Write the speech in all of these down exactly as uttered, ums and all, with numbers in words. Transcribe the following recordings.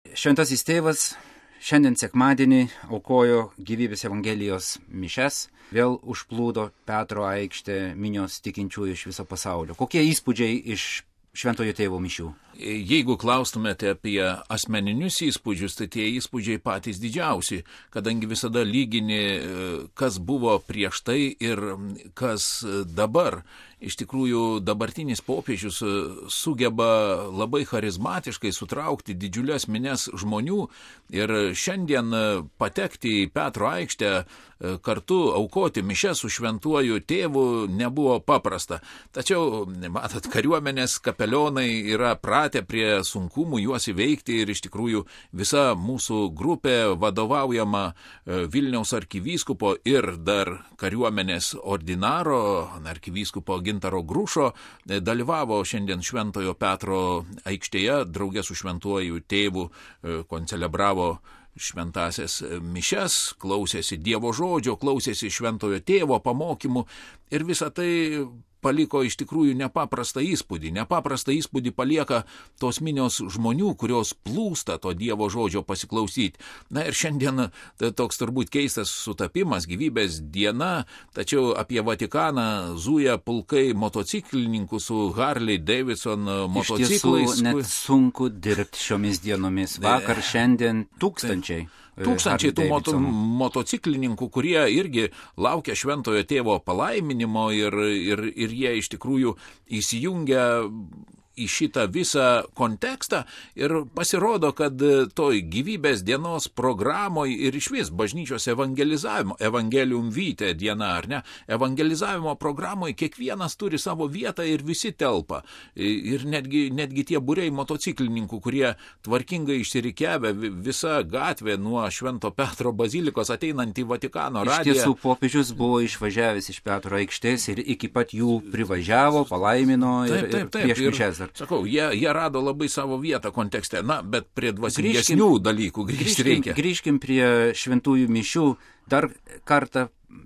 Šventasis tėvas šiandien sekmadienį aukojo gyvybės evangelijos mišias, vėl užplūdo Petro aikštę minios tikinčiųjų iš viso pasaulio. Kokie įspūdžiai iš Šventojo tėvo mišių? Jeigu klaustumėte apie asmeninius įspūdžius, tai tie įspūdžiai patys didžiausi, kadangi visada lygini, kas buvo prieš tai ir kas dabar. Iš tikrųjų, dabartinis popiežius sugeba labai charizmatiškai sutraukti didžiulės minias žmonių ir šiandien patekti į Petro aikštę kartu aukoti mišias su šventuoju tėvu nebuvo paprasta. Tačiau, matot, kariuomenės kapelionai yra pratę prie sunkumų juos įveikti ir iš tikrųjų visa mūsų grupė vadovaujama Vilniaus arkivyskupo ir dar kariuomenės ordinaro, arkivyskupo Gintaro Grušo, dalyvavo šiandien Šventojo Petro aikštėje, draugė su šventuoju tėvu koncelebravo šventasias mišias, klausėsi Dievo žodžio, klausėsi šventojo tėvo pamokymų ir visą tai paliko iš tikrųjų nepaprastą įspūdį. Nepaprastą įspūdį palieka tos minios žmonių, kurios plūsta to Dievo žodžio pasiklausyti. Na ir šiandien tai toks turbūt keistas sutapimas, gyvybės diena, tačiau apie Vatikaną zuja pulkai motociklininkų su Harley Davidson motociklais. Iš tiesų net sunku dirbti šiomis dienomis. Vakar, šiandien tūkstančiai. Tūkstančiai tų moto, motociklininkų, kurie irgi laukia šventojo tėvo palaiminimo ir, ir, ir jie iš tikrųjų įsijungia į šitą visą kontekstą ir pasirodo, kad toj gyvybės dienos programoj ir išvis bažnyčios evangelizavimo, evangelium vitae diena, ar ne, evangelizavimo programoj kiekvienas turi savo vietą ir visi telpa. Ir netgi, netgi tie būriai motociklininkų, kurie tvarkingai išsirikiavę visa gatvė nuo Švento Petro bazilikos ateinant į Vatikano radiją. Iš tiesų, popiežius buvo išvažiavęs iš Petro aikštės ir iki pat jų privažiavo, palaimino ir, taip, taip, taip, ir prieš mišias. Sakau, jie, jie rado labai savo vietą kontekste, na, bet prie dvasingesnių dalykų grįžti reikia. Grįžkim prie šventųjų mišių. Dar kartą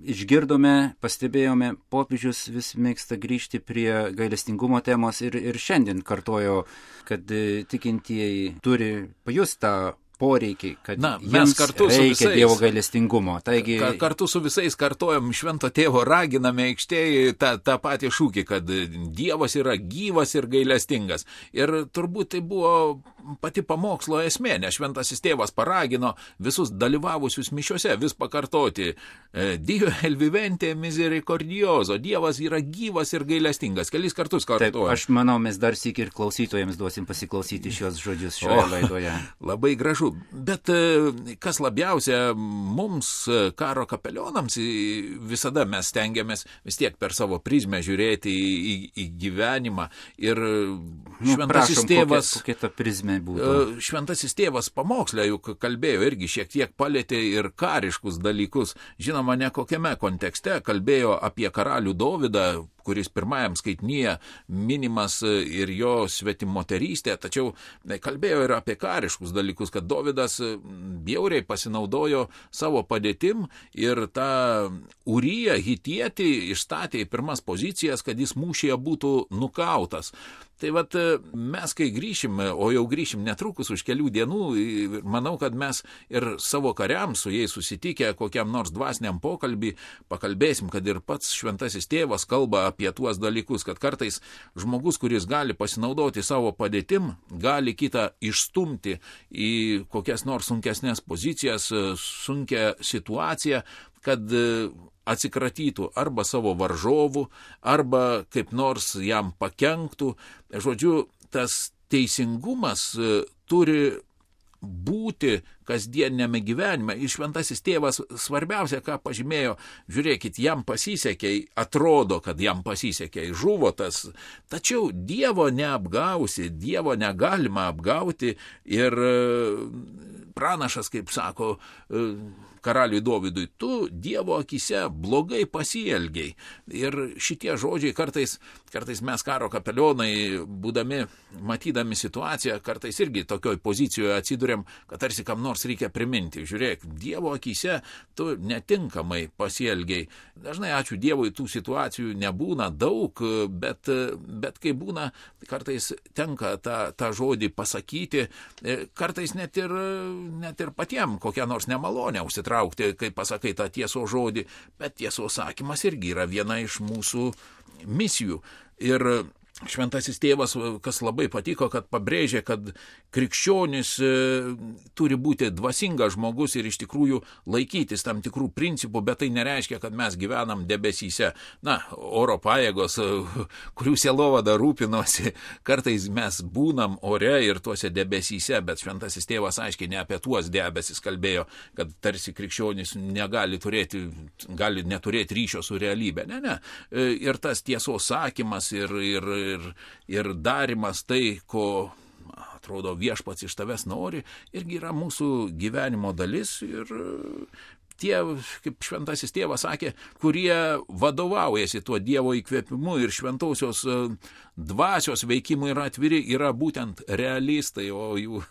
išgirdome, pastebėjome, popiežius vis mėgsta grįžti prie gailestingumo temos ir, ir šiandien kartojo, kad tikintieji turi pajusti tą poreikiai, kad Na, jiems kartu reikia visais, Dievo gailestingumo. Taigi, ka, kartu su visais kartojam švento tėvo, raginame aikštėje tą, tą patį šūkį, kad Dievas yra gyvas ir gailestingas. Ir turbūt tai buvo pati pamokslo esmė, nes šventasis tėvas paragino visus dalyvavusius mišiuose vis pakartoti Dio el vivente misericordioso, Dievas yra gyvas ir gailestingas. Kelis kartus kartuoja. Taip, aš manau, mes dar sykį ir klausytojams duosim pasiklausyti šios žodžius šioje o, laidoje. Labai gražu. Bet kas labiausia mums, karo kapelionams, visada mes stengiamės vis tiek per savo prizmę žiūrėti į, į, į gyvenimą. Ir šventasis nu, prašom, tėvas, kokia, kokia ta prizmė būtų. Šventasis tėvas pamokslę juk kalbėjo irgi šiek tiek palėtė ir kariškus dalykus. Žinoma, ne kokiame kontekste kalbėjo apie karalių Dovydą, kuris pirmajam skaitinyje minimas ir jo svetimoterystė, tačiau kalbėjo ir apie kariškus dalykus, kad Dovydas bjauriai pasinaudojo savo padėtim ir tą Uriją hitietį išstatė į pirmas pozicijas, kad jis mūšyje būtų nukautas. Tai vat mes, kai grįšim, o jau grįšim netrukus už kelių dienų, manau, kad mes ir savo kariams su jais susitikę kokiam nors dvasiniam pokalbį pakalbėsim, kad ir pats šventasis tėvas kalba apie tuos dalykus, kad kartais žmogus, kuris gali pasinaudoti savo padėtim, gali kitą išstumti į kokias nors sunkesnės pozicijas, sunkią situaciją, kad atsikratytų arba savo varžovų, arba kaip nors jam pakenktų. Žodžiu, tas teisingumas turi būti kasdieniniame gyvenime. Ir šventasis tėvas svarbiausia, ką pažymėjo, žiūrėkit, jam pasisekė, atrodo, kad jam pasisekė, žuvo tas. Tačiau Dievo neapgausi, Dievo negalima apgauti ir pranašas, kaip sako, karaliui Dovydui, tu Dievo akise blogai pasielgiai. Ir šitie žodžiai kartais, kartais mes karo kapelionai, būdami, matydami situaciją, kartais irgi tokioj pozicijoje atsiduriam, kad tarsi kam nors reikia priminti. Žiūrėk, Dievo akise tu netinkamai pasielgiai. Dažnai, ačiū Dievui, tų situacijų nebūna daug, bet, bet kai būna, kartais tenka tą, tą žodį pasakyti, kartais net ir, net ir patiem kokią nors nemalonę užsitraukti, kai pasakai tą tiesos žodį, bet tiesos sakymas irgi yra viena iš mūsų misijų. Ir Šventasis tėvas, kas labai patiko, kad pabrėžė, kad krikščionis e, turi būti dvasingas žmogus ir iš tikrųjų laikytis tam tikrų principų, bet tai nereiškia, kad mes gyvenam debesyse. Na, oro pajėgos, kurių sielovada rūpinosi, kartais mes būnam ore ir tuose debesyse, bet Šventasis tėvas aiškiai ne apie tuos debesis kalbėjo, kad tarsi krikščionis negali turėti, gali neturėti ryšio su realybė. Ne, ne. Ir tas tiesos sakymas ir, ir Ir, ir darimas tai, ko, atrodo, viešpats iš tavęs nori, irgi yra mūsų gyvenimo dalis. Ir tie, kaip Šventasis tėvas sakė, kurie vadovaujasi tuo Dievo įkvėpimu ir šventausios dvasios veikimui yra atviri, yra būtent realistai, o jų,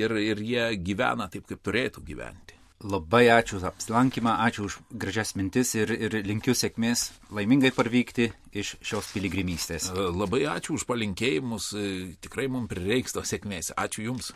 ir, ir jie gyvena taip, kaip turėtų gyventi. Labai ačiū už apsilankymą, ačiū už gražias mintis ir, ir linkiu sėkmės laimingai parvykti iš šios piligrimystės. Labai ačiū už palinkėjimus, tikrai mums prireiks tos sėkmės. Ačiū Jums.